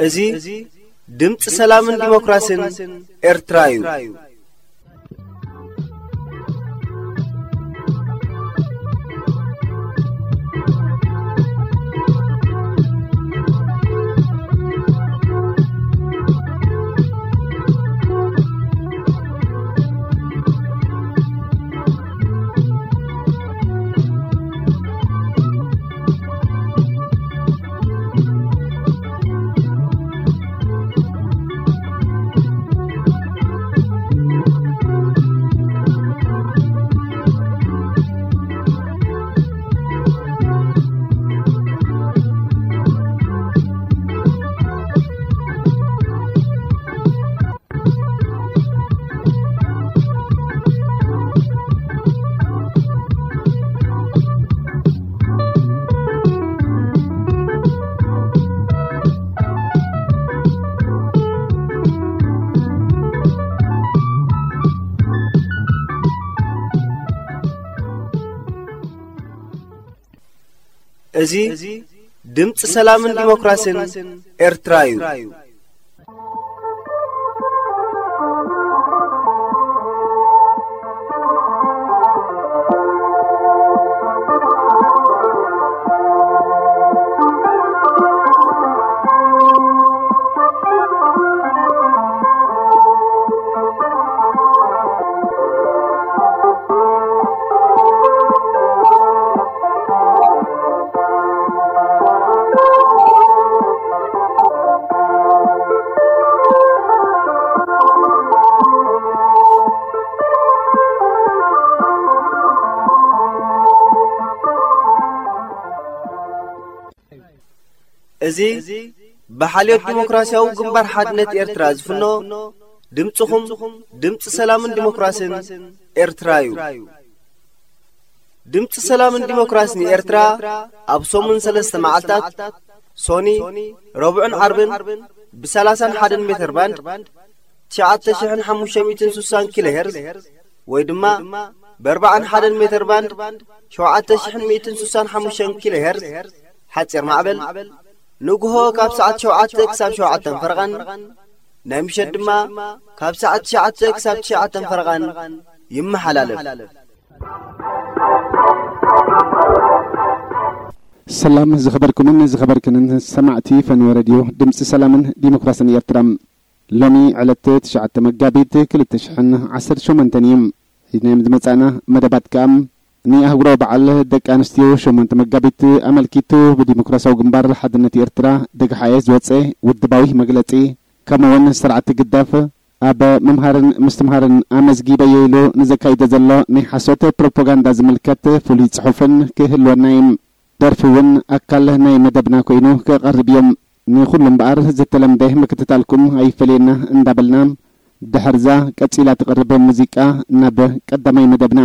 እዚ ድምፂ ሰላምን ዲሞክራሲን ኤርትራ እዩ። እዚ ድምፂ ሰላምን ዲሞክራሲን ኤርትራ እዩ። እዚ ብሓልዮት ዲሞክራሲያዊ ግንባር ሓድነት ኤርትራ ዝፍኖ ድምፅኹም፣ ድምፂ ሰላምን ዲሞክራሲን ኤርትራ እዩ። ድምፂ ሰላምን ዲሞክራሲን ኤርትራ ኣብ ሰሙን ሰለስተ መዓልታት፣ ሶኒ፣ ረቡዕን ዓርብን፣ ብ ሰላሳን ሓደን ሜተር ባንድ፣ ትሽዓተ ሽሕን ሓሙሽተ ሚእትን ስሳን ኪሎ ሄርዝ፣ ወይ ድማ ብ ኣርባዓን ሓደን ሜተር ባንድ፣ ሸውዓተ ሽሕን ሚእትን ስሳን ሓሙሽተን ኪሎ ሄርዝ፣ ሓጺር ማዕበል፣ ንግሆ ካብ ሰዓት ሸውዓተ ክሳብ ሸውዓተን ፈረቓን፣ ናይ ምሸት ድማ ካብ ሰዓት ትሽዓተ ክሳብ ትሽዓተን ፈረቓን ይመሓላለፍ። ሰላም ዝኸበርኩምን ዝኸበርክንን ሰማዕቲ ፈንወ ረድዮ ድምፂ ሰላምን ዲሞክራሲን ኤርትራ። ሎሚ ዕለት ትሽዓተ መጋቢት ክልተ ሽሕን ዓሰርተ ሸሞንተን እዩ። ሒዝናዮም ዝመጻእና መደባት ከኣ ንኣህጉራዊ በዓል ደቂ ኣንስትዮ ሸሞንተ መጋቢት ኣመልኪቱ ብዲሞክራሲያዊ ግንባር ሓድነት ኤርትራ ደግሓኤ ዝወጸ ውድባዊ መግለጺ፣ ከምኡ'ውን ስርዓት ህግደፍ ኣብ ምምሃርን ምስትምሃርን ኣመዝጊበዮ ኢሉ ንዘካይዶ ዘሎ ናይ ሓሶት ፕሮፓጋንዳ ዝምልከት ፍሉይ ጽሑፍን ክህልወና እዩ። ደርፊ እውን ኣካል ናይ መደብና ኮይኑ ክቐርብ እዩ። ንኹሉ እምበኣር ዝተለምደ ምክትታልኩም ኣይፈለየና እንዳበልና፣ ድሕርዛ ቀጺላ ትቐርብ ሙዚቃ ናብ ቀዳማይ መደብና።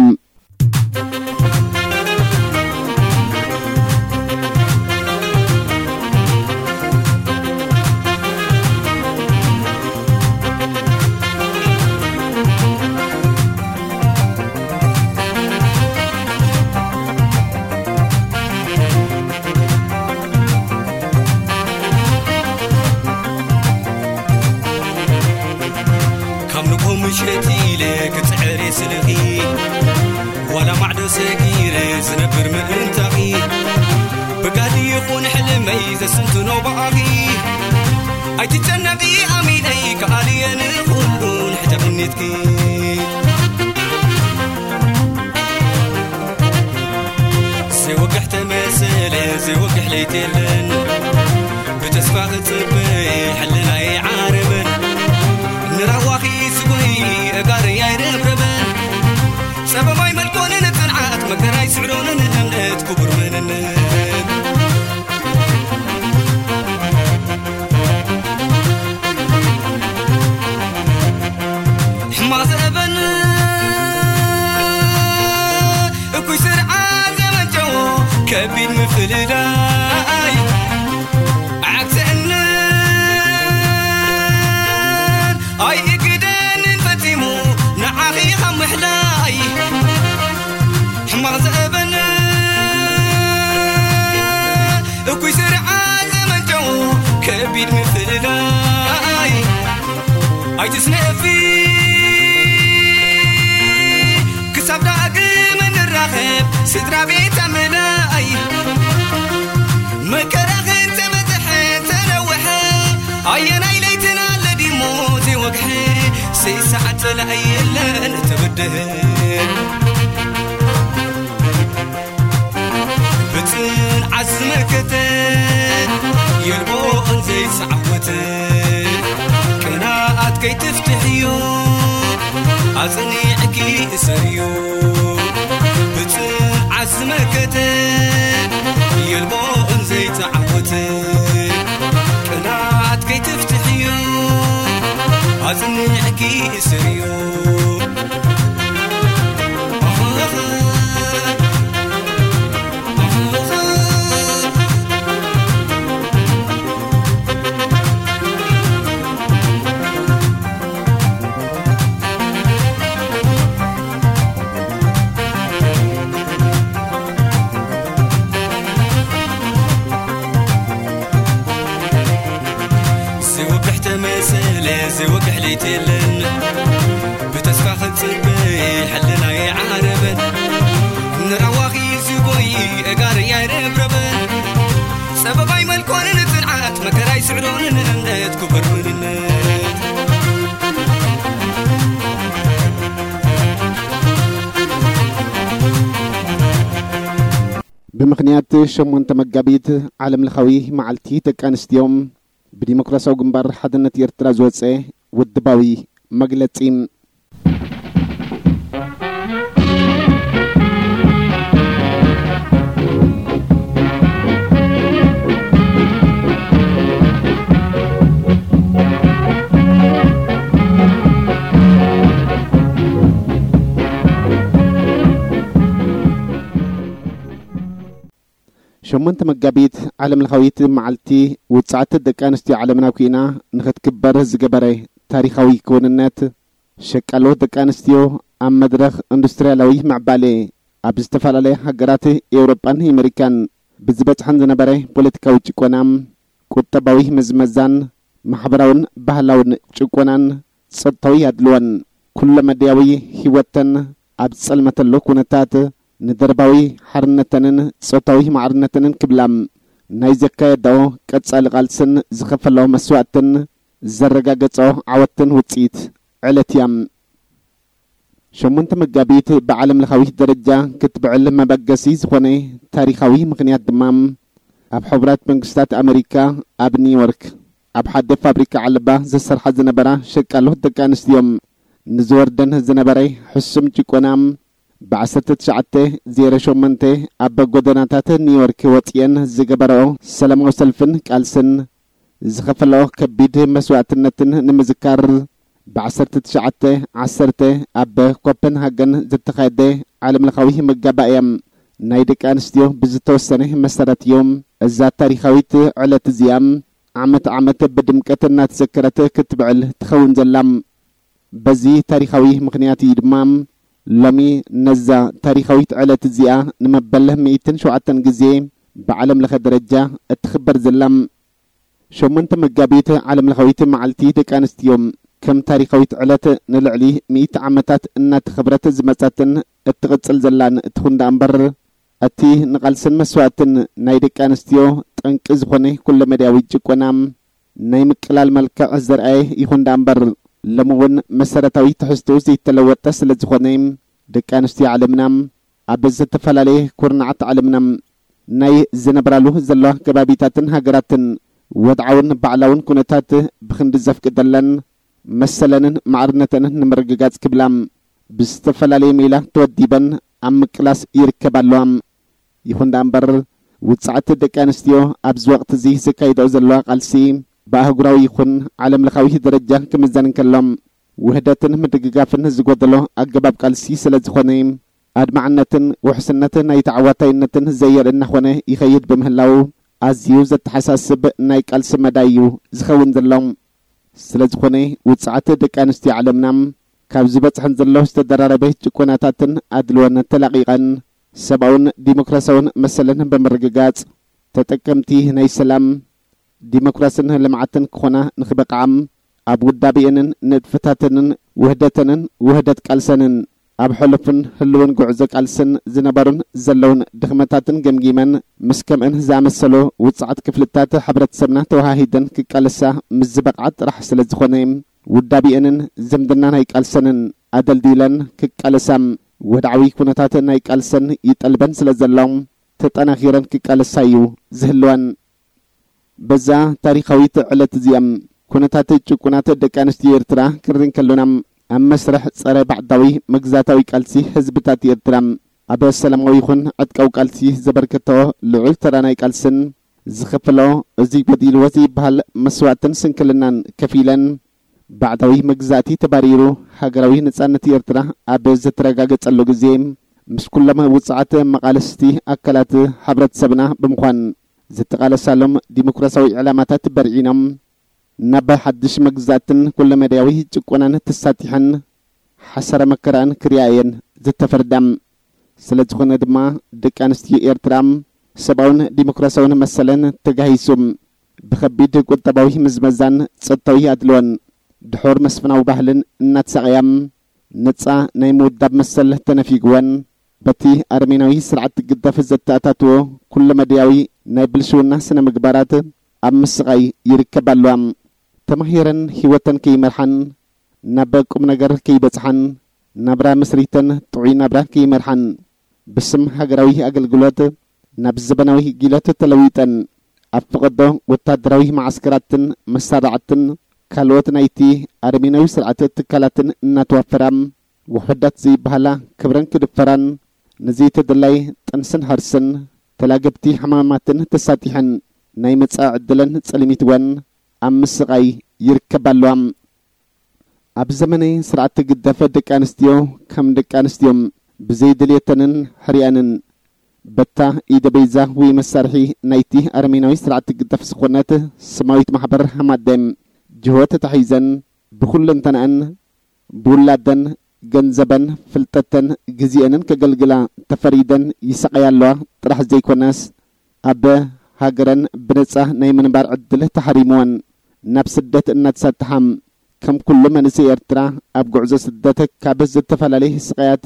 ካብ ንግሆ ምሸት ኢለ ክጽዕር እየ ስልኺ፣ ዋላ ማዕዶ ሰጊረ ዝነብር ምእንታኺ። ጋዲ ይኹን ሕልመይ ዘስንትኖ ብኣኺ። ኣይትጨነቒ ኣሚነይ፣ ከኣልየ ንኹሉ ንሕጂ ኣሚኒትኪ። ዘይወግሕ ተመሰለ፣ ዘይወግሕ ለይቲ የለን። ብተስፋ ክጽበ ሕልናይ ዓረበን። ንራዋኺ ስጎይ እጋረይ ኣይረብረበን። ጸበባይ መልኮንን ጽንዓት መከራይ ስዕሮንን እምነት ክቡር መንነት። ሕማቕ ዘእበን እኩይ ስርዓት ዘመንጨዎ ከቢድ ምፍልላይ። ዓግሰንን ኣይእግደንን ፈጺሙ ንዓኺ ካብ ምሕላይ። ሕማቕ ዘእበን እኩይ ስርዓት ዘመንጨዎ ከቢድ ምፍልላይ። ኣይትስነፊ ክሳብ ዳግም እንራኸብ ስድራ ቤት ኣመላይ። መከራኽን ተበዝሐ ተነውሐ ኣየናይ ለይትን ኣለዲሞ ዘይወግሐ። ሰይሰዓት ጸላኢ የለን ተበደህ ብጽንዓት ዝመከተ የልቦ እንዘይተዓወተ። ቅንኣት ከይትፍትሕዮ ኣጽኒዕኪ እሰርዮ። ብጽንዓት ዝመከተ የልቦ እንዘይተዓወተ። ቅንኣት ከይትፍትሕዮ ኣጽኒዕኪ እሰርዮ። ዘይወግሕ ተመሰለ ዘይወግሕ ለይቲ የለን። ብተስፋ ክጽበ ሕልናይ ዓረበን። ንራዋኺ ዝጎይ እጋር ያይረብረበን። ጸበባይ መልኮንን ጽንዓት መከራይ ስዕሮንን እምነት ክቡር መንነት። ብምኽንያት ሸሞንተ መጋቢት ዓለም ለኻዊ መዓልቲ ደቂ ኣንስትዮ፣ ብዲሞክራሲያዊ ግንባር ሓድነት ኤርትራ ዝወጸ ውድባዊ መግለጺ። ሸሞንተ መጋቢት ዓለም ለኻዊት መዓልቲ ውጽዓት ደቂ ኣንስትዮ ዓለምና ኩይና ንኽትክበር ዝገበረ ታሪኻዊ ክውንነት፣ ሸቃሎ ደቂ ኣንስትዮ ኣብ መድረኽ ኢንዱስትርያላዊ ምዕባለ ኣብ ዝተፈላለያ ሃገራት ኤውሮጳን ኣሜሪካን ብዝበጽሐን ዝነበረ ፖለቲካዊ ጭቆና፣ ቁጠባዊ ምዝመዛን ማሕበራውን ባህላውን ጭቆናን ጾታዊ ኣድልዎን ኩለመዳያዊ ህይወተን ኣብ ዝጸልመተሉ ኩነታት፣ ንደርባዊ ሓርነተንን ጾታዊ ማዕርነተንን ክብላ ናይ ዘካየዳኦ ቀጻሊ ቃልስን ዝኸፈላኦ መስዋእትን ዘረጋገጾ ዓወትን ውጽኢት ዕለት እያ። ሸሞንተ መጋቢት ብዓለም ለኻዊ ደረጃ ክትብዕል መበገሲ ዝኾነ ታሪኻዊ ምኽንያት ድማ፣ ኣብ ሕቡራት መንግስታት ኣመሪካ ኣብ ኒውዮርክ ኣብ ሓደ ፋብሪካ ዓለባ ዝሰርሓ ዝነበራ ሸቃሎ ደቂ ኣንስትዮ፣ ንዝወርደን ዝነበረ ሕሱም ጭቆና፣ ብ ዓሰርተ ትሽዓተ ዜሮ ሸሞንተ ኣብ ጎደናታት ኒውዮርክ ወጺኤን ዝገበረኦ ሰላማዊ ሰልፍን ቃልስን፣ ዝኸፈለኦ ከቢድ መስዋእትነትን ንምዝካር፣ ብ ዓሰርተ ትሽዓተ ዓሰርተ ኣብ ኮፐንሃገን ዝተኻየደ ዓለምለኻዊ መጋባእያ ናይ ደቂ ኣንስትዮ ብዝተወሰነ መሰረት እዩ። እዛ ታሪኻዊት ዕለት እዚኣ ዓመት ዓመት ብድምቀት እናተዘከረት ክትብዕል ትኸውን ዘላ። በዚ ታሪኻዊ ምኽንያት እዩ ድማ ሎሚ ነዛ ታሪኻዊት ዕለት እዚኣ ንመበል ሚእትን ሸውዓተን ግዜ ብዓለም ለኸ ደረጃ እትኽበር ዘላ። ሸሞንተ መጋቢት ዓለም ለኻዊት መዓልቲ ደቂ ኣንስትዮ ከም ታሪኻዊት ዕለት ንልዕሊ ሚእቲ ዓመታት እናተኸብረት ዝመጻትን እትቕጽል ዘላን ትኹን ደኣ እምበር፣ እቲ ንቓልስን መስዋእትን ናይ ደቂ ኣንስትዮ ጠንቂ ዝኾነ ኩለመዳያዊ ጭቆና ናይ ምቅላል መልክዕ ዘርኣየ ይኹን ደኣ እምበር፣ ሎሚ እውን መሰረታዊ ትሕዝትኡ ዘይተለወጠ ስለ ዝኾነ፣ ደቂ ኣንስትዮ ዓለምና ኣብ ዝተፈላለየ ኩርናዓት ዓለምና ናይ ዝነብራሉ ዘለዋ ከባቢታትን ሃገራትን ወድዓውን ባዕላውን ኩነታት ብኽንዲ ዘፍቅደለን መሰለንን ማዕርነተንን ንምርግጋጽ ክብላ ብዝተፈላለየ ሜላ ተወዲበን ኣብ ምቅላስ ይርከባ ኣለዋ። ይኹን ደኣ እምበር፣ ውጽዓት ደቂ ኣንስትዮ ኣብዚ ወቕቲ እዚ ዘካይድኦ ዘለዋ ቃልሲ ብኣህጉራዊ ይኹን ዓለም ለኻዊ ደረጃ ክምዘን እንከሎ፣ ውህደትን ምድግጋፍን ዝጎደሎ ኣገባብ ቃልሲ ስለ ዝኾነ፣ ኣድማዕነትን ውሕስነት ናይ ተዓዋታይነትን ዘየርኢ እናኾነ ይኸይድ ብምህላው፣ ኣዝዩ ዘተሓሳስብ ናይ ቃልሲ መዳይ እዩ ዝኸውን ዘሎ። ስለ ዝኾነ፣ ውጽዓት ደቂ ኣንስትዮ ዓለምና ካብ ዝበጽሐን ዘሎ ዝተደራረበ ጭቆናታትን ኣድልዎን ተላቒቐን፣ ሰብኣውን ዲሞክራሲያውን መሰለን ብምርግጋጽ፣ ተጠቀምቲ ናይ ሰላም፣ ዲሞክራስን ልምዓትን ክኾና ንኽበቕዓ፣ ኣብ ውዳቤአንን ንጥፈታተንን ውህደተንን ውህደት ቃልሰንን፣ ኣብ ሕሉፍን ህልውን ጉዕዞ ቃልስን ዝነበሩን ዘለውን ድኽመታትን ገምጊመን፣ ምስ ከምእን ዝኣመሰሉ ውጽዓት ክፍልታት ሕብረተሰብና ተወሃሂደን ክቃለሳ ምስ ዝበቕዓ ጥራሕ ስለ ዝኾነ፣ ውዳቤአንን ዝምድና ናይ ቃልሰንን ኣደልዲለን ክቃለሳ፣ ወድዓዊ ኩነታት ናይ ቃልሰን ይጠልበን ስለ ዘሎ፣ ተጠናኺረን ክቃለሳ እዩ ዝህልወን። በዛ ታሪኻዊት ዕለት እዚኣ፣ ኩነታት ጭቁናት ደቂ ኣንስትዮ ኤርትራ ክርኢ እንከሎና፣ ኣብ መስርሕ ጸረ ባዕዳዊ መግዛታዊ ቃልሲ ህዝብታት ኤርትራ፣ ኣብ ሰላማዊ ይኹን ዕጥቃዊ ቃልሲ ዘበርከቶ ልዑል ተራ ናይ ቃልስን ዝኸፈሎ፣ እዚ ጎዲልዎ ዘይበሃል መስዋእትን ስንክልናን ከፊለን፣ ባዕዳዊ መግዛእቲ ተባሪሩ ሃገራዊ ነጻነት ኤርትራ ኣብ ዝተረጋገጸሉ ግዜ፣ ምስ ኩሎም ውጽዓት መቓለስቲ ኣካላት ሕብረተሰብና ብምዃን፣ ዝተቓለሳሎም ዲሞክራሲያዊ ዕላማታት በርዒኖም፣ ናብ ሓድሽ መግዛእትን ኩለመዳያዊ ጭቆናን ተሳጢሐን፣ ሓሰረ መከራን ክሪኣ እየን ዝተፈርዳ። ስለ ዝኾነ ድማ፣ ደቂ ኣንስትዮ ኤርትራ፣ ሰብኣውን ዲሞክራሲያውን መሰለን ተጋሂሱ፣ ብኸቢድ ቁጠባዊ ምዝመዛን ጸጥታዊ ኣድልዎን፣ ድሑር መስፍናዊ ባህልን እናተሳቐያ፣ ነጻ ናይ ምውዳብ መሰል ተነፊግወን፣ በቲ ኣረሜናዊ ስርዓት ግደፍ ዘተኣታትዎ ኩለመዳያዊ ናይ ብልሽውና ስነ ምግባራት ኣብ ምስቓይ ይርከባ ኣለዋ። ተማሂረን ህይወተን ከይመርሓን፣ ናብ ቁም ነገር ከይበጽሓን፣ ናብራ መስሪተን ጥዑይ ናብራ ከይመርሓን፣ ብስም ሃገራዊ ኣገልግሎት ናብ ዘበናዊ ጊለት ተለዊጠን፣ ኣብ ፈቐዶ ወታደራዊ መዓስከራትን መሳርዕትን ካልኦት ናይቲ ኣረሜናዊ ስርዓት ትካላትን እናተዋፈራ፣ ውሑዳት ዘይበሃላ ክብረን ክድፈራን፣ ንዘይተደላይ ጥንስን ሕርስን ተላገብቲ ሕማማትን ተሳጢሐን፣ ናይ መጻኢ ዕድለን ጸልሚትወን ኣብ ምስቓይ ይርከባ ኣለዋ። ኣብ ዘመነ ስርዓት ግደፍ፣ ደቂ ኣንስትዮ ከም ደቂ ኣንስትዮ ብዘይድልየተንን ሕርያንን፣ በታ ኢደ በይዛ ወይ መሳርሒ ናይቲ ኣረሜናዊ ስርዓት ግደፍ ዝኾነት ስማዊት ማሕበር ሃማደም ጅሆ ተታሒዘን፣ ብኹለንተናኣን፣ ብውላደን፣ ገንዘበን፣ ፍልጠተን፣ ግዜአንን ከገልግላ ተፈሪደን ይሳቐያ ኣለዋ ጥራሕ ዘይኮነስ፣ ኣብ ሃገረን ብነጻ ናይ ምንባር ዕድል ተሓሪምወን፣ ናብ ስደት እናተሳጥሓ፣ ከም ኩሉ መንእሰይ ኤርትራ ኣብ ጉዕዞ ስደት ካብ ዝተፈላለየ ስቓያት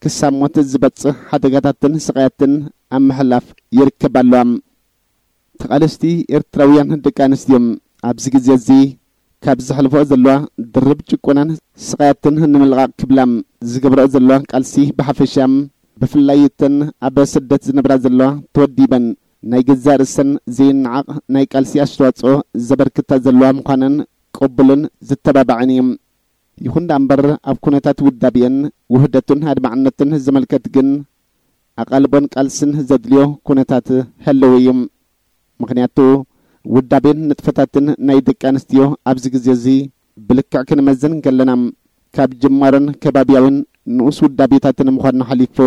ክሳብ ሞት ዝበጽሕ ሓደጋታትን ስቓያትን ኣብ ምሕላፍ ይርከባ ኣለዋ። ተቓለስቲ ኤርትራውያን ደቂ ኣንስትዮ ኣብዚ ግዜ እዚ ካብ ዘሕልፎ ዘለዋ ድርብ ጭቆናን ስቓያትን ንምልቓቕ ክብላ ዝገብረኦ ዘለዋ ቃልሲ ብሓፈሻ፣ ብፍላይ እተን ኣብ ስደት ዝነብራ ዘለዋ ተወዲበን ናይ ገዛእ ርእሰን ዘይነዓቕ ናይ ቃልሲ ኣስተዋጽኦ ዘበርክታ ዘለዋ ምዃነን ቅቡልን ዝተባባዕን እዩ። ይኹን ደኣ እምበር፣ ኣብ ኩነታት ውዳቤን ውህደቱን ኣድማዕነቱን ዝምልከት ግን ኣቓልቦን ቃልስን ዘድልዮ ኩነታት ህልው እዩ። ምኽንያቱ፣ ውዳቤን ንጥፈታትን ናይ ደቂ ኣንስትዮ ኣብዚ ግዜ እዚ ብልክዕ ክንመዝን እንከለና፣ ካብ ጅማሮን ከባብያውን ንኡስ ውዳቤታትን ምዃኑ ሓሊፉ፣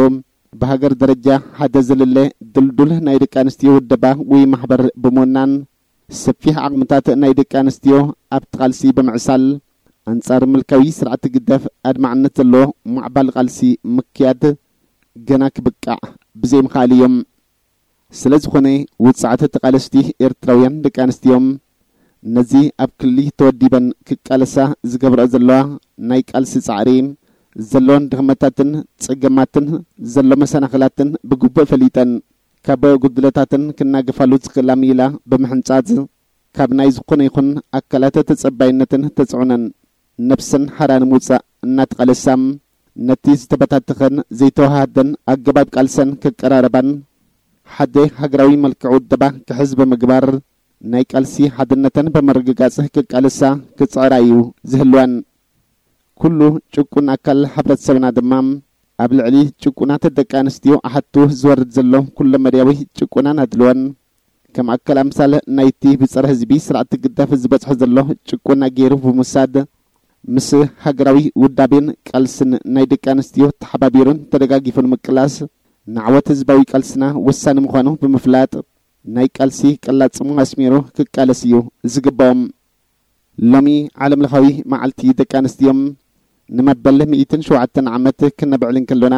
ብሃገር ደረጃ ሓደ ዝልለ ድልዱል ናይ ደቂ ኣንስትዮ ውደባ ወይ ማሕበር ብምውናን፣ ሰፊሕ ዓቕምታት ናይ ደቂ ኣንስትዮ ኣብቲ ቃልሲ ብምዕሳል፣ ኣንጻር ምልካዊ ስርዓት ግደፍ ኣድማዕነት ዘለዎ ማዕባል ቃልሲ ምክያድ ገና ክብቃዕ ብዘይምኽኣል እዮም። ስለ ዝኾነ፣ ውጽዓት ተቓለስቲ ኤርትራውያን ደቂ ኣንስትዮ ነዚ ኣብ ክሊ ተወዲበን ክቃለሳ ዝገብረኦ ዘለዋ ናይ ቃልሲ ጻዕሪ ዘለወን ድኽመታትን ጸገማትን ዘሎ መሰናኽላትን ብግቡእ ፈሊጠን ካብ ጉድለታትን ክናገፋሉ ዝኽእላ ሚላ ብምሕንጻጽ ካብ ናይ ዝኾነ ይኹን ኣካላት ተጸባይነትን ተጽዕኖን ነብሰን ሓራ ንምውጻእ እናተቓለሳ፣ ነቲ ዝተበታተኸን ዘይተወሃሃደን ኣገባብ ቃልሰን ከቀራረባን ሓደ ሃገራዊ መልክዕ ውደባ ክሕዝ ብምግባር ናይ ቃልሲ ሓድነተን ብምርግጋጽ ክቃለሳ ክጽዕራ እዩ ዝህልወን። ኩሉ ጭቁን ኣካል ሕብረተሰብና ድማ ኣብ ልዕሊ ጭቁናት ደቂ ኣንስትዮ ኣሓቱ ዝወርድ ዘሎ ኩለመዳያዊ ጭቆናን ኣድልዎን ከም ኣካል ኣምሳል ናይቲ ብጸረ ህዝቢ ስርዓት ግዳፍ ዝበጽሖ ዘሎ ጭቆና ገይሩ ብምውሳድ ምስ ሃገራዊ ውዳቤን ቃልስን ናይ ደቂ ኣንስትዮ ተሓባቢሩን ተደጋጊፉን ምቅላስ ንዓወት ህዝባዊ ቃልስና ወሳኒ ምዃኑ ብምፍላጥ ናይ ቃልሲ ቀላጽሙ ኣስሚሩ ክቃለስ እዩ ዝግባኦም። ሎሚ ዓለምለኻዊ መዓልቲ ደቂ ኣንስትዮ ንመበል ሚእትን ሸውዓተን ዓመት ክነብዕል እንከሎና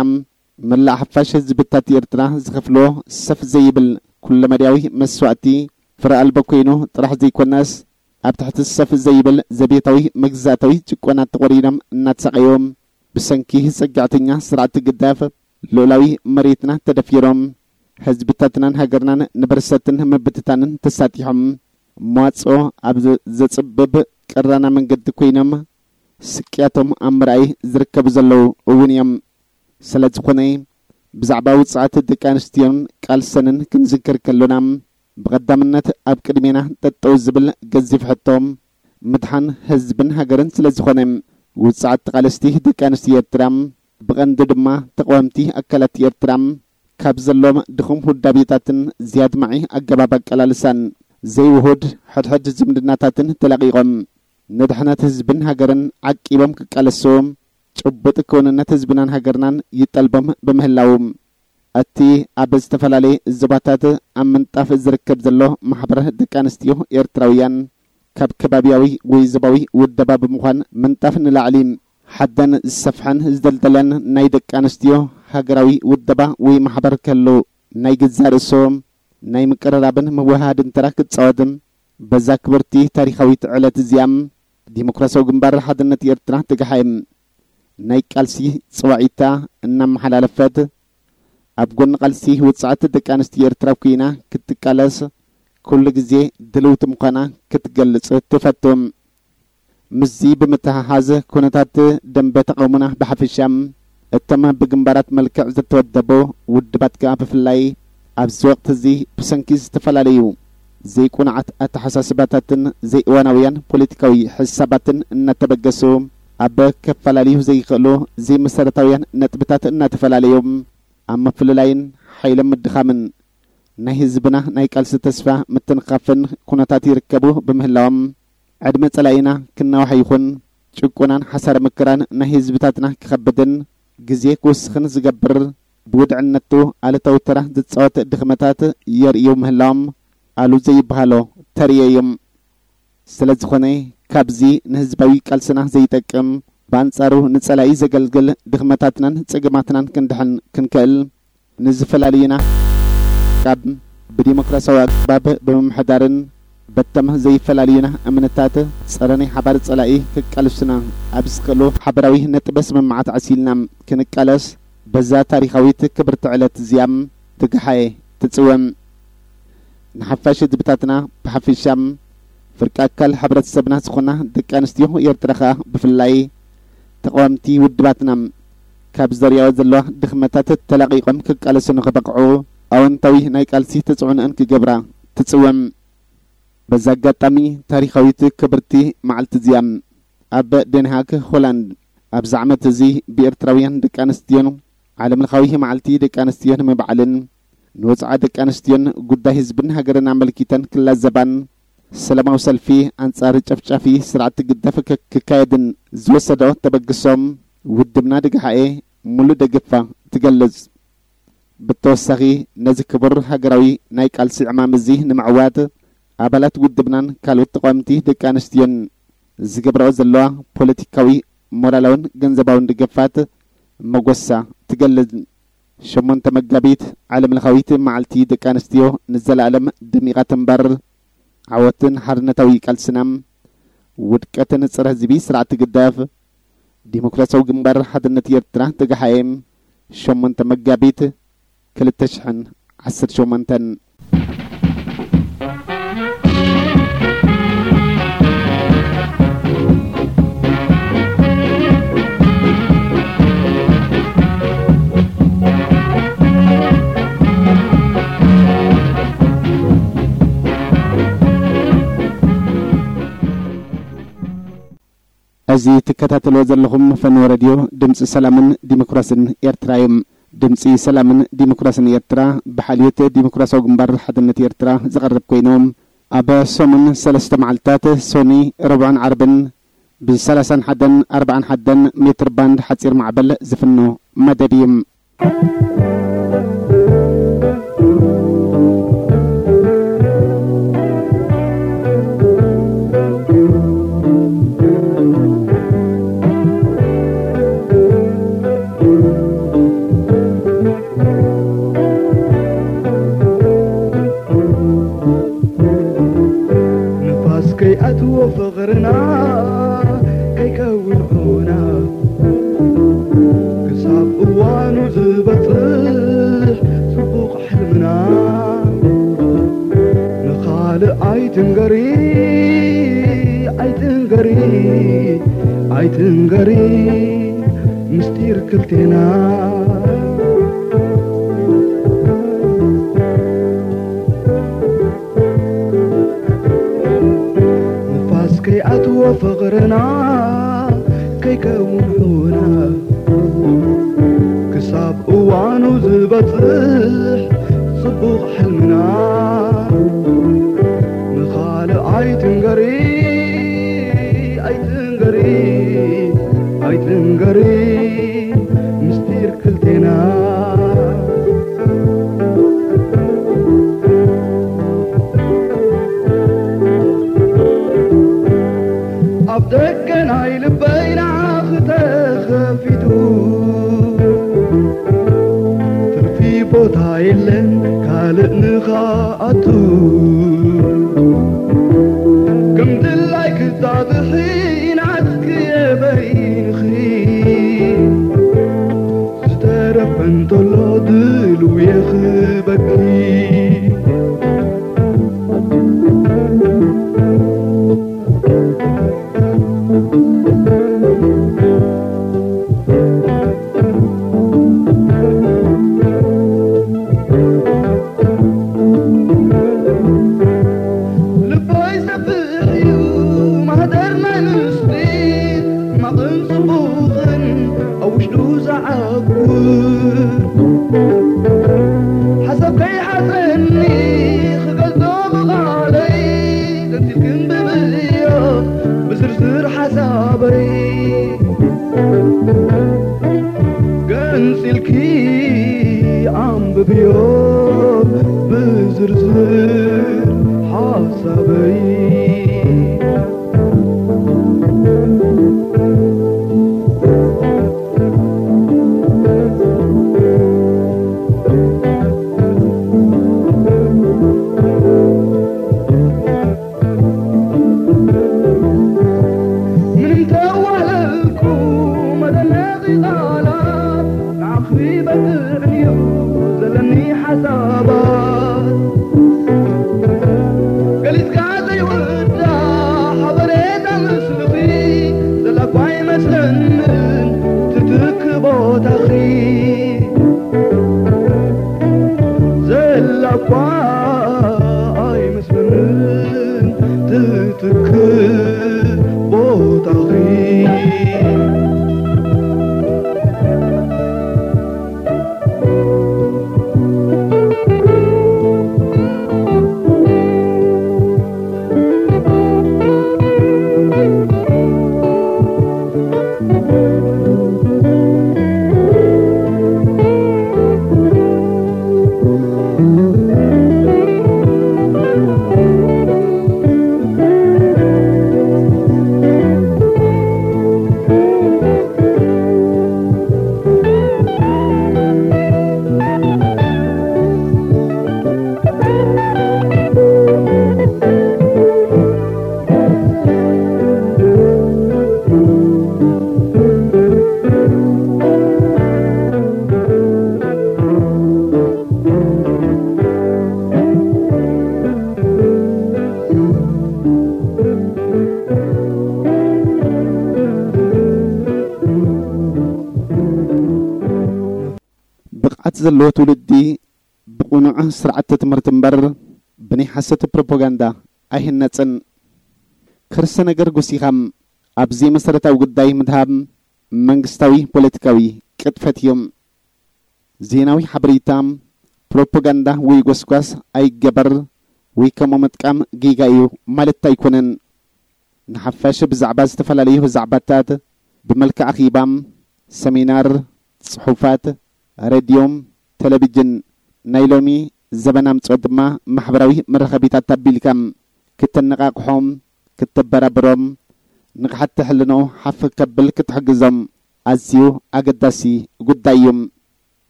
መላእ ሓፋሽ ህዝብታት ኤርትራ ዝኸፍሎ ሰፍ ዘይብል ኩለመዳያዊ መስዋእቲ ፍረ ኣልቦ ኮይኑ ጥራሕ ዘይኮነስ ኣብ ትሕቲ ሰፍ ዘይብል ዘቤታዊ መግዛእታዊ ጭቆና ተቖሪኖም እናተሳቐዮም ብሰንኪ ጸጋዕተኛ ስርዓት ግዳፍ ልኡላዊ መሬትና ተደፊሮም ህዝብታትናን ሃገርናን ንበርሰትን ምብትታንን ተሳጢሖም መዋጽኦ ኣብ ዘጽብብ ቀራና መንገዲ ኮይኖም ስቅያቶም ኣብ ምርኣይ ዝርከቡ ዘለዉ እውን እዮም። ስለ ዝኾነ ብዛዕባ ውጽዓት ደቂ ኣንስትዮን ቃልሰንን ክንዝክር ከሎና ብቐዳምነት ኣብ ቅድሜና ጠጠው ዝብል ገዚፍ ሕቶ ምድሓን ህዝብን ሃገርን ስለ ዝኾነ ውጽዓት ተቓለስቲ ደቂ ኣንስትዮ ኤርትራ ብቐንዱ ድማ ተቓወምቲ ኣካላት ኤርትራ ካብ ዘሎም ድኹም ውዳቤታትን ዝያድማዒ ኣገባብ ኣቀላልሳን ዘይውሁድ ሕድሕድ ዝምድናታትን ተላቒቖም ንድሕነት ህዝብን ሃገርን ዓቂቦም ክቃለሱ ጭቡጥ ክውንነት ህዝብናን ሃገርናን ይጠልቦም ብምህላው እቲ ኣብ ዝተፈላለየ ዞባታት ኣብ ምንጣፍ ዝርከብ ዘሎ ማሕበር ደቂ ኣንስትዮ ኤርትራውያን ካብ ከባቢያዊ ወይ ዞባዊ ውደባ ብምዃን ምንጣፍ ንላዕሊ ሓደን ዝሰፍሐን ዝደልደለን ናይ ደቂ ኣንስትዮ ሃገራዊ ውደባ ወይ ማሕበር ከሎ ናይ ገዛእ ርእሶ ናይ ምቅርራብን ምውሃድን ተራ ክጻወት በዛ ክብርቲ ታሪኻዊት ዕለት እዚኣ ዲሞክራሲያዊ ግንባር ሓድነት ኤርትራ ትግሓ ናይ ቃልሲ ጽዋዒታ እናመሓላለፈት ኣብ ጎኒ ቃልሲ ውጽዓት ደቂ ኣንስትዮ ኤርትራ ኮይና ክትቃለስ ኩሉ ግዜ ድልውቲ ምዃና ክትገልጽ ትፈቱ። ምስዚ ብምትሕሓዝ ኩነታት ደንበ ተቓውሞና ብሓፈሻ እቶም ብግንባራት መልክዕ ዝተወደቡ ውድባት ከኣ ብፍላይ ኣብዚ ወቕቲ እዚ ብሰንኪ ዝተፈላለዩ ዘይቁኑዓት ኣተሓሳስባታትን ዘይእዋናውያን ፖለቲካዊ ሕሳባትን እናተበገሱ ኣብ ከፈላለዩ ዘይኽእሉ ዘይመሰረታውያን ነጥብታት እናተፈላለዩ ኣብ ምፍልላይን ሓይሎም ምድኻምን ናይ ህዝብና ናይ ቃልሲ ተስፋ ምትንኻፍን ኩነታት ይርከቡ ብምህላዎም ዕድመ ጸላኢና ክናዋሕ ይኹን ጭቆናን ሓሳረ መከራን ናይ ህዝብታትና ክኸብድን ግዜ ክውስኽን ዝገብር ብውድዕነቱ ኣሉታዊ ተራ ዝጻወት ድኽመታት የርእዩ ምህላዎም ኣሉ ዘይበሃሎ ተርእዮ እዩ። ስለ ዝኾነ ካብዚ ንህዝባዊ ቃልስና ዘይጠቅም ብኣንጻሩ ንጸላኢ ዘገልግል ድኽመታትናን ጸገማትናን ክንድሕን ክንክእል ንዝፈላልዩና ካብ ብዲሞክራሲያዊ ኣገባብ ብምምሕዳርን በቶም ዘይፈላልዩና እምነታት ጸረ ናይ ሓባር ጸላኢ ክቃልሱና ኣብ ዝኽእሉ ሓበራዊ ነጥበ ስምምዓት ዓሲልና ክንቃለስ በዛ ታሪኻዊት ክብርቲ ዕለት እዚኣ ትግሓኤ ትጽውዕ። ንሓፋሽ ህዝብታትና ብሓፊሻ ፍርቂ ኣካል ሕብረተሰብና ዝኾና ደቂ ኣንስትዮ ኤርትራ ኸኣ ብፍላይ ተቓወምቲ ውድባትና ካብ ዘርእያኦ ዘለዋ ድኽመታት ተላቒቖም ክቃለሱ ንኽበቕዑ ኣወንታዊ ናይ ቃልሲ ተጽዕኖአን ክገብራ ትጽውዕ። በዚ ኣጋጣሚ ታሪኻዊት ክብርቲ መዓልቲ እዚኣ ኣብ ደንሃግ ሆላንድ ኣብዚ ዓመት እዚ ብኤርትራውያን ደቂ ኣንስትዮን ዓለምለኻዊ መዓልቲ ደቂ ኣንስትዮ ንምብዓልን ንወጽዓ ደቂ ኣንስትዮን ጉዳይ ህዝብን ሃገርን ኣመልኪተን ክላዘባን ሰላማዊ ሰልፊ ኣንጻር ጨፍጫፊ ስርዓት ግዳፍ ክካየድን ዝወሰዶ ተበግሶም ውድብና ድግሓኤ ሙሉእ ደገፋ ትገልጽ። ብተወሳኺ ነዚ ክቡር ሃገራዊ ናይ ቃልሲ ዕማም እዚ ንምዕዋት ኣባላት ውድብናን ካልኦት ተቓወምቲ ደቂ ኣንስትዮን ዝገብርኦ ዘለዋ ፖለቲካዊ፣ ሞራላውን ገንዘባውን ደገፋት መጎሳ ትገልጽ። ሸሞንተ መጋቢት ዓለምለኻዊት መዓልቲ ደቂ ኣንስትዮ ንዘለኣለም ደሚቓ ትንበር። ዓወትን ሓርነታዊ ቃልስና፣ ውድቀትን ጸረ ህዝቢ ስርዓት ግዳፍ፣ ዲሞክራሲያዊ ግንባር ሓድነት ኤርትራ፣ ትግሓኤ፣ ሸሞንተ መጋቢት ክልተ ሽሕን ዓሰርተ ሸሞንተን። እዚ ትከታተልዎ ዘለኹም ፈነወ ሬድዮ ድምፂ ሰላምን ዲሞክራስን ኤርትራ እዩ። ድምፂ ሰላምን ዲሞክራስን ኤርትራ ብሓልዮት ዲሞክራሲያዊ ግንባር ሓድነት ኤርትራ ዝቐርብ ኮይኑ፣ ኣብ ሰሙን ሰለስተ መዓልታት፣ ሰኑይ፣ ረቡዕን ዓርብን፣ ብ ሰላሳን ሓደን ኣርባዓን ሓደን ሜትር ባንድ ሓፂር ማዕበል ዝፍኖ መደብ እዩ። ንፋስ ከይኣትዎ ፍቕርና ከይከውን ዑና፣ ክሳብ እዋኑ ዝበጽሕ ጽቡቕ ሕልምና። ንኻልእ ኣይትንገሪ፣ ኣይትንገሪ፣ ኣይትንገሪ ምስጢር ክልቴና። ንፋስ ከይኣትዎ ፍቕርና ከይከውን ዑና፣ ክሳብ እዋኑ ዝበጽሕ ጽቡቕ ሕልምና። ንኻልእ ኣይትንገሪ፣ ኣይትንገሪ፣ ኣይትንገሪ ምስጢር ክልቴና። ኣብ ደገ ናይ ልበይ ንዓኺ ተኸፊቱ፣ ትርፊ ቦታ የለን ካልእ ንኻኣቱ። ከም ድላይ ክጣጥሒ ናትኪ የበይንኺ፣ ዝተረፈ እንተሎ ድልው የኽበኪ። ልበይ ሰፊሕ እዩ ማህደር ናይ ምስጢር፣ ሕማቕን ጽቡቕን ኣብ ውሽጡ ዝዓቁር። ሓሳብ ከይሓጸኒ ክገልጾ ብቓለይ፣ ገንጺልኪ ኣንብብዮ ብዝርዝር ሓሳበይ። ገንጺልኪ ኣንብብዮ ብዝርዝር ሓሳበይ። ምንም ተዋህለልኩ መደነቒ ቃላት፣ ንዓኺ በቅዕን እዩ ዘለኒ ሓሳባት። ገሊጽካ ዘይ ዘለዎ ትውልዲ ብቕኑዕ ስርዓተ ትምህርቲ እምበር ብናይ ሓሰት ፕሮፓጋንዳ ኣይህነጽን። ክርሰ ነገር ጎሲኻ ኣብዚ መሰረታዊ ጉዳይ ምድሃብ መንግስታዊ ፖለቲካዊ ቅጥፈት እዩ። ዜናዊ ሓበሬታ፣ ፕሮፓጋንዳ ወይ ጎስጓስ ኣይገበር ወይ ከምኡ ምጥቃም ጌጋ እዩ ማለት ኣይኮነን። ንሓፋሽ ብዛዕባ ዝተፈላለዩ ዛዕባታት ብመልክዕ ኣኼባ፣ ሰሚናር፣ ጽሑፋት፣ ሬድዮ፣ ቴሌቪዥን፣ ናይ ሎሚ ዘበን ኣምጽኦ ድማ ማሕበራዊ መራኸቢታት ኣቢልካ ክተነቓቕሖም፣ ክተበራብሮም፣ ንቕሓት ሕልንኡ ሓፍ ከብል ክትሕግዞም ኣዝዩ ኣገዳሲ ጉዳይ እዩ።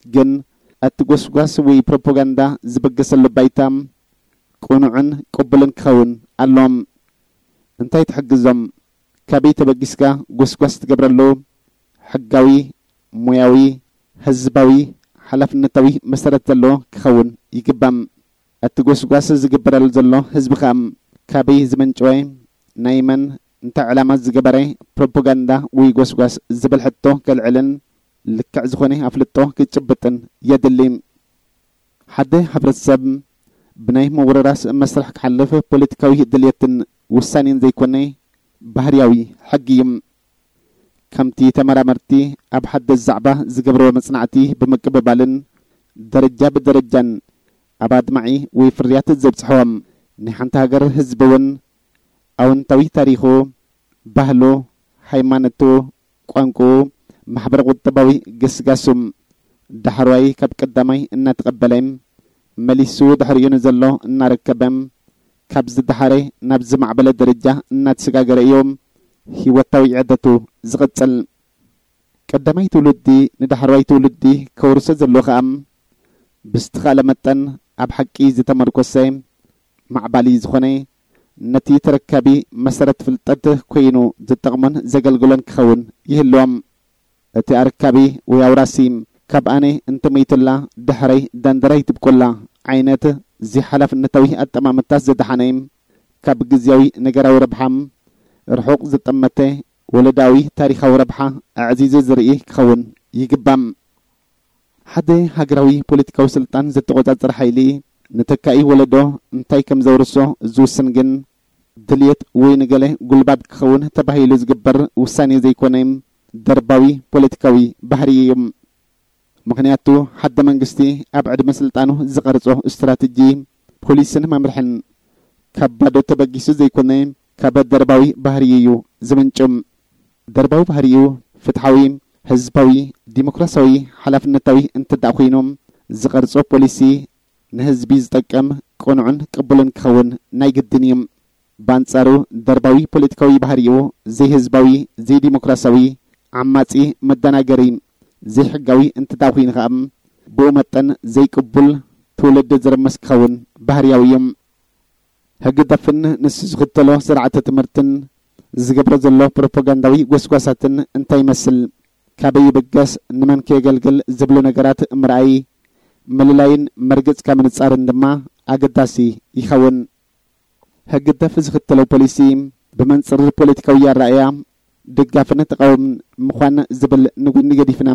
ግን እቲ ጎስጓስ ወይ ፕሮፓጋንዳ ዝበገሰሉ ባይታ ቅኑዕን ቅቡልን ክኸውን ኣለዎም። እንታይ ትሕግዞም? ካበይ ተበጊስካ ጎስጓስ ትገብረሉ? ሕጋዊ፣ ሞያዊ፣ ህዝባዊ፣ ሓላፍነታዊ መሰረት ዘለዎ ክኸውን ይግባም። እቲ ጎስጓስ ዝግበረሉ ዘሎ ህዝቢ ኸኣ ካበይ ዝመንጨወ፣ ናይ መን፣ እንታይ ዕላማ ዝገበረ ፕሮፓጋንዳ ወይ ጎስጓስ ዝብል ሕቶ ከልዕልን ልክዕ ዝኾነ ኣፍልጦ ክጭብጥን የድሊ። ሓደ ሕብረተሰብ ብናይ ምውርራስ መስርሕ ክሓልፍ ፖለቲካዊ ድልየትን ውሳኔን ዘይኮነ ባህርያዊ ሕጊ እዩ። ከምቲ ተመራመርቲ ኣብ ሓደስ ዛዕባ ዝገብርዎ መጽናዕቲ ብምቅብባልን ደረጃ ብደረጃን ኣብ ኣድማዒ ወይ ፍርያት ዘብጽሕዎም ናይ ሓንቲ ሃገር ህዝቢ እውን ኣወንታዊ ታሪኹ፣ ባህሉ፣ ሃይማኖቱ፣ ቋንቋኡ፣ ማሕበረ ቁጠባዊ ግስጋሱ ዳሕረዋይ ካብ ቀዳማይ እናተቐበለ መሊሱ ድሕሪኡ ንዘሎ እናረከበ ካብ ዝደሓረ ናብ ዝማዕበለ ደረጃ እናተሰጋገረ እዩ ህይወታዊ ዕደቱ ዝቕጽል። ቀዳማይ ትውልዲ ንዳሕረዋይ ትውልዲ ከውርሶ ዘለዎ ኸኣ ብዝተኻእለ መጠን ኣብ ሓቂ ዝተመርኮሰ ማዕባሊ ዝኾነ ነቲ ተረካቢ መሰረት ፍልጠት ኮይኑ ዝጠቕሞን ዘገልግሎን ክኸውን ይህልዎም። እቲ ኣረካቢ ወይ ኣውራሲ ካብ ኣነ እንተመይቱላ ድሕረይ ዳንደራይ ትብቆላ ዓይነት ዘይሓላፍነታዊ ኣጠማምታ ዝደሓነ ካብ ግዝያዊ ነገራዊ ረብሓ ርሑቕ ዝጠመተ ወለዳዊ ታሪኻዊ ረብሓ ኣዕዚዙ ዝርኢ ክኸውን ይግባም። ሓደ ሃገራዊ ፖለቲካዊ ስልጣን ዘተቖጻጸር ሓይሊ ንተካኢ ወለዶ እንታይ ከም ዘውርሶ ዝውስን ግን ድልየት ወይ ንገለ ጉልባብ ክኸውን ተባሂሉ ዝግበር ውሳኔ ዘይኮነ ደርባዊ ፖለቲካዊ ባህሪ እዩ። ምኽንያቱ ሓደ መንግስቲ ኣብ ዕድመ ስልጣኑ ዝቐርጾ ስትራተጂ፣ ፖሊስን መምርሕን ካብ ባዶ ተበጊሱ ዘይኮነ ካብ ደርባዊ ባህሪ እዩ ዝምንጩ። ደርባዊ ባህሪኡ ፍትሓዊ፣ ህዝባዊ፣ ዲሞክራሲያዊ፣ ሓላፍነታዊ እንትዳእ ኮይኑ ዝቐርጾ ፖሊሲ ንህዝቢ ዝጠቅም ቅኑዕን ቅቡልን ክኸውን ናይ ግድን እዩ። ብኣንጻሩ ደርባዊ ፖለቲካዊ ባህሪኡ ዘይህዝባዊ፣ ዘይዲሞክራሲያዊ፣ ዓማጺ፣ መደናገሪ፣ ዘይሕጋዊ እንትዳእ ኮይኑ ኸኣ ብኡ መጠን ዘይቅቡል ትውልዲ ዝርምስ ክኸውን ባህርያዊ እዩ። ህግደፍን ንሱ ዝኽተሎ ስርዓተ ትምህርትን ዝገብሮ ዘሎ ፕሮፓጋንዳዊ ጎስጓሳትን እንታይ ይመስል፣ ካበይ ይብገስ፣ ንመን ከየገልግል ዝብሉ ነገራት ምርኣይ፣ ምልላይን መርገጽካ ምንጻርን ድማ ኣገዳሲ ይኸውን። ህግደፍ ዝኽተሎ ፖሊሲ ብመንጽር ፖለቲካዊ ኣረኣእያ ደጋፍን ተቓውምን ምዃን ዝብል ንጎኒ ገዲፍና፣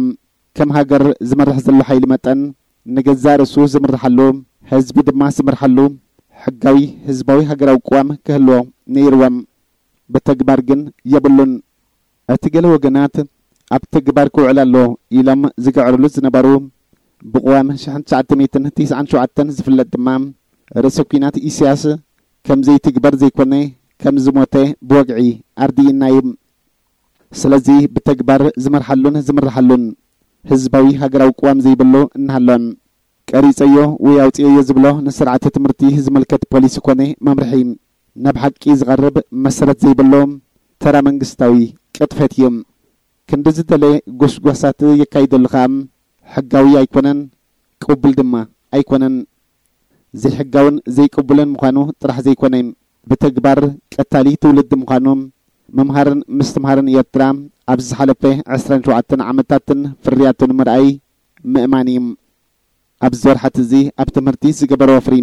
ከም ሃገር ዝመርሕ ዘሎ ሓይሊ መጠን ንገዛእ ርእሱ ዝምርሓሉ፣ ህዝቢ ድማ ዝምርሓሉ ሕጋዊ ህዝባዊ ሃገራዊ ቅዋም ክህልዎ ነይርዎም። ብተግባር ግን የብሉን። እቲ ገለ ወገናት ኣብ ተግባር ክውዕል ኣሎ ኢሎም ዝግዕርሉ ዝነበሩ ብቅዋም ሽሕን ትሽዓተ ሚእትን ትስዓን ሸውዓተን ዝፍለጥ ድማ ርእሰ ኲናት ኢሳያስ ከም ዘይትግበር ዘይኮነ ከም ዝሞተ ብወግዒ ኣርዲእና እዩ። ስለዚ ብተግባር ዝመርሓሉን ዝምርሓሉን ህዝባዊ ሃገራዊ ቅዋም ዘይብሉ እናሃሎን ቀሪጸዮ ወይ ኣውጽኤዮ ዝብሎ ንስርዓተ ትምህርቲ ዝምልከት ፖሊሲ ኮነ መምርሒ ናብ ሓቂ ዝቐርብ መሰረት ዘይብሎ ተራ መንግስታዊ ቅጥፈት እዩ። ክንዲ ዝደለ ጎስጓሳት የካይደሉ ኸኣ ሕጋዊ ኣይኮነን፣ ቅቡል ድማ ኣይኮነን። ዘይሕጋውን ዘይቅቡልን ምዃኑ ጥራሕ ዘይኮነ፣ ብተግባር ቀታሊ ትውልዲ ምዃኑ መምሃርን ምስትምሃርን ኤርትራ ኣብዚ ዝሓለፈ ዕስራን ሸውዓተን ዓመታትን ፍርያቱን ምርኣይ ምእማን እዩ። ኣብዚ ወርሓት እዚ ኣብ ትምህርቲ ዝገበሮ ወፍሪ፣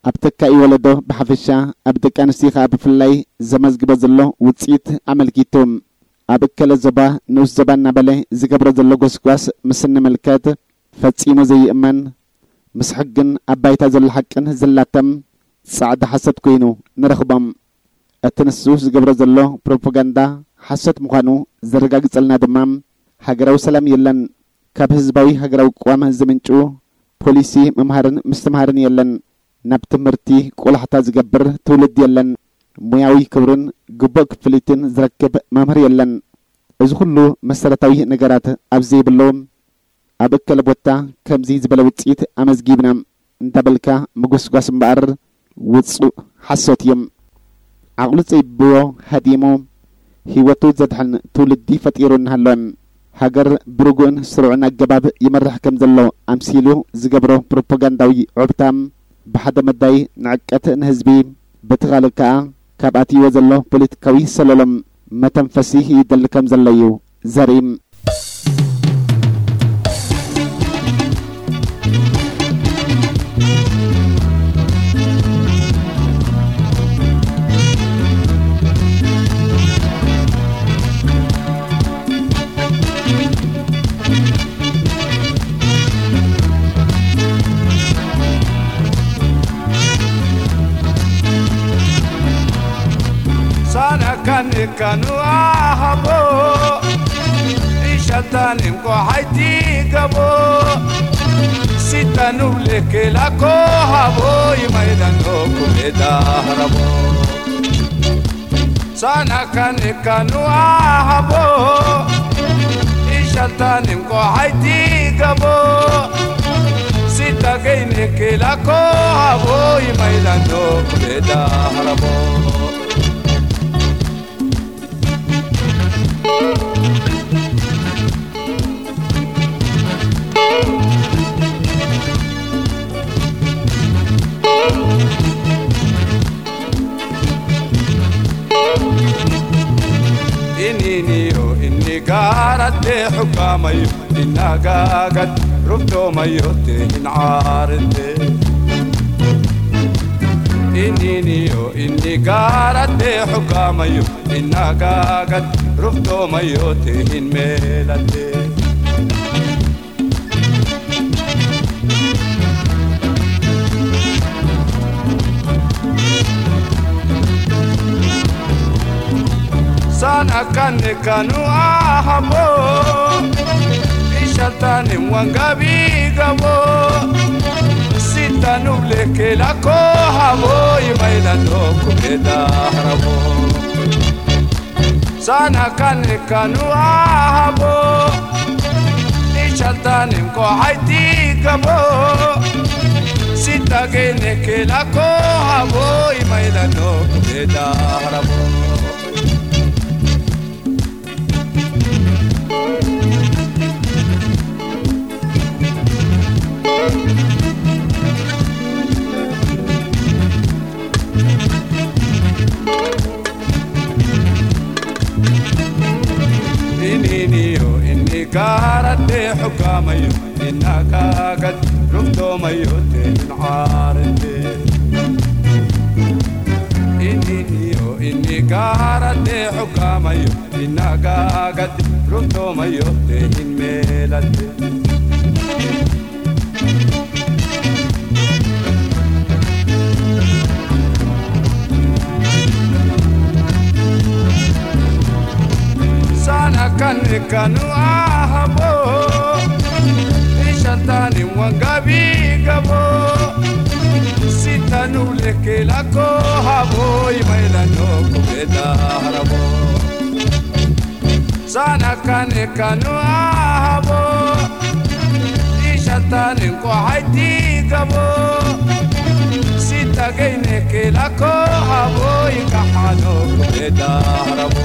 ኣብ ተካኢ ወለዶ ብሓፈሻ፣ ኣብ ደቂ ኣንስትዮ ኸኣ ብፍላይ ዘመዝግቦ ዘሎ ውጽኢት ኣመልኪቱ፣ ኣብ እከለ ዞባ ንኡስ ዞባ እናበለ ዝገብሮ ዘሎ ጎስጓስ ምስ እንምልከት፣ ፈጺሙ ዘይእመን፣ ምስ ሕግን ኣብ ባይታ ዘሎ ሓቅን ዝላተም ጻዕዳ ሓሶት ኮይኑ ንረኽቦም። እቲ ንሱ ዝገብሮ ዘሎ ፕሮፓጋንዳ ሓሶት ምዃኑ ዘረጋግጸልና ድማ፣ ሃገራዊ ሰላም የለን፣ ካብ ህዝባዊ ሃገራዊ ቅዋም ዝምንጩ ፖሊሲ ምምሃርን ምስትምሃርን የለን፣ ናብ ትምህርቲ ቆላሕታ ዝገብር ትውልዲ የለን፣ ሞያዊ ክብርን ግቡእ ክፍሊትን ዝረክብ መምህር የለን። እዚ ኩሉ መሰረታዊ ነገራት ኣብ ዘይብሉ፣ ኣብ እከለ ቦታ ከምዚ ዝበለ ውጽኢት ኣመዝጊብና እንዳበልካ ምጉስጓስ እምበኣር ውጹእ ሓሶት እዩ። ዓቕሉ ጸቢብዎ ሃዲሙ ህይወቱ ዘድሕን ትውልዲ ፈጢሩ እናሃለወ፣ ሃገር ብርጉእን ስሩዕን ኣገባብ ይመርሕ ከም ዘሎ ኣምሲሉ ዝገብሮ ፕሮፓጋንዳዊ ዑብታ፣ ብሓደ መዳይ ንዕቀት ንህዝቢ፣ በቲ ካልእ ከኣ ካብ ኣትይዎ ዘሎ ፖለቲካዊ ሰለሎም መተንፈሲ ይደሊ ከም ዘሎ እዩ ዘርኢ። ሳና ካኔ ካኑ ኣሃቦ፣ ኢሻታኒም ቆሓይቲ ገቦ፣ ሲታኑ ብሌኬ ላኮ ሃቦ፣ ይማይዳኖ ኩሜዳ ሃራቦ። ሳና ካኔ ካኑ ኣሃቦ፣ ኢሻታኒም ቆሓይቲ ገቦ፣ ሲታ ገይኔ ኬላኮ ሃቦ፣ ይማይዳኖ ኩሜዳ ሃራቦ። Ininiyo, inigarate hukamayo, inaga gad ruftomayo te inarate. Ininiyo, inigarate hukamayo, inaga gad ruftomayo te inmelate. Sana kane kanu ahabo, ishatani wangabi gabo, sitanu bleke lako habo, imaila no kumeda harabo. Sana kane kanu ahabo, ishatani nkohaiti gabo, sitagene kelako habo, imaila no kumeda harabo. Ininiyo, inigarate hukamayo, inagagat ruftomayo te inarate. Ininiyo, inigarate hukamayo, inagagat ruftomayo te inmelate. Sana kane kanu ahabo, ishatani wangabi gabo, sitanu leke lako habo, imaila no kumeda harabo. Sana kane kanu ahabo, ishatani nkohaiti gabo, sitagene kelako habo, ikahano kumeda harabo.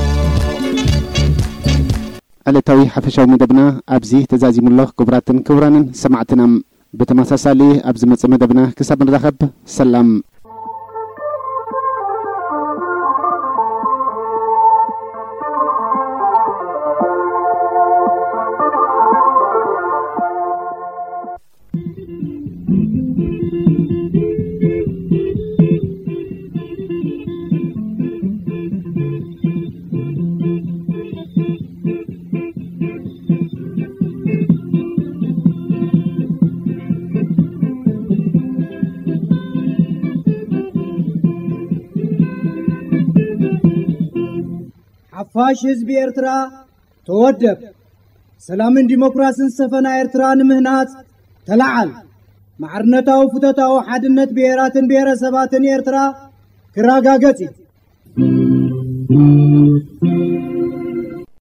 ዕለታዊ ሓፈሻዊ መደብና ኣብዚ ተዛዚሙ ኣሎ። ክቡራትን ክቡራንን ሰማዕትና፣ ብተመሳሳሊ ኣብ ዝመጽእ መደብና ክሳብ ንራኸብ፣ ሰላም። ሓፋሽ ህዝቢ ኤርትራ ተወደብ። ሰላምን ዲሞክራስን ዝሰፈና ኤርትራ ንምህናጽ ተለዓል። ማዕርነታዊ ፍቶታዊ ሓድነት ብሄራትን ብሄረሰባትን ኤርትራ ክረጋገጽ እዩ።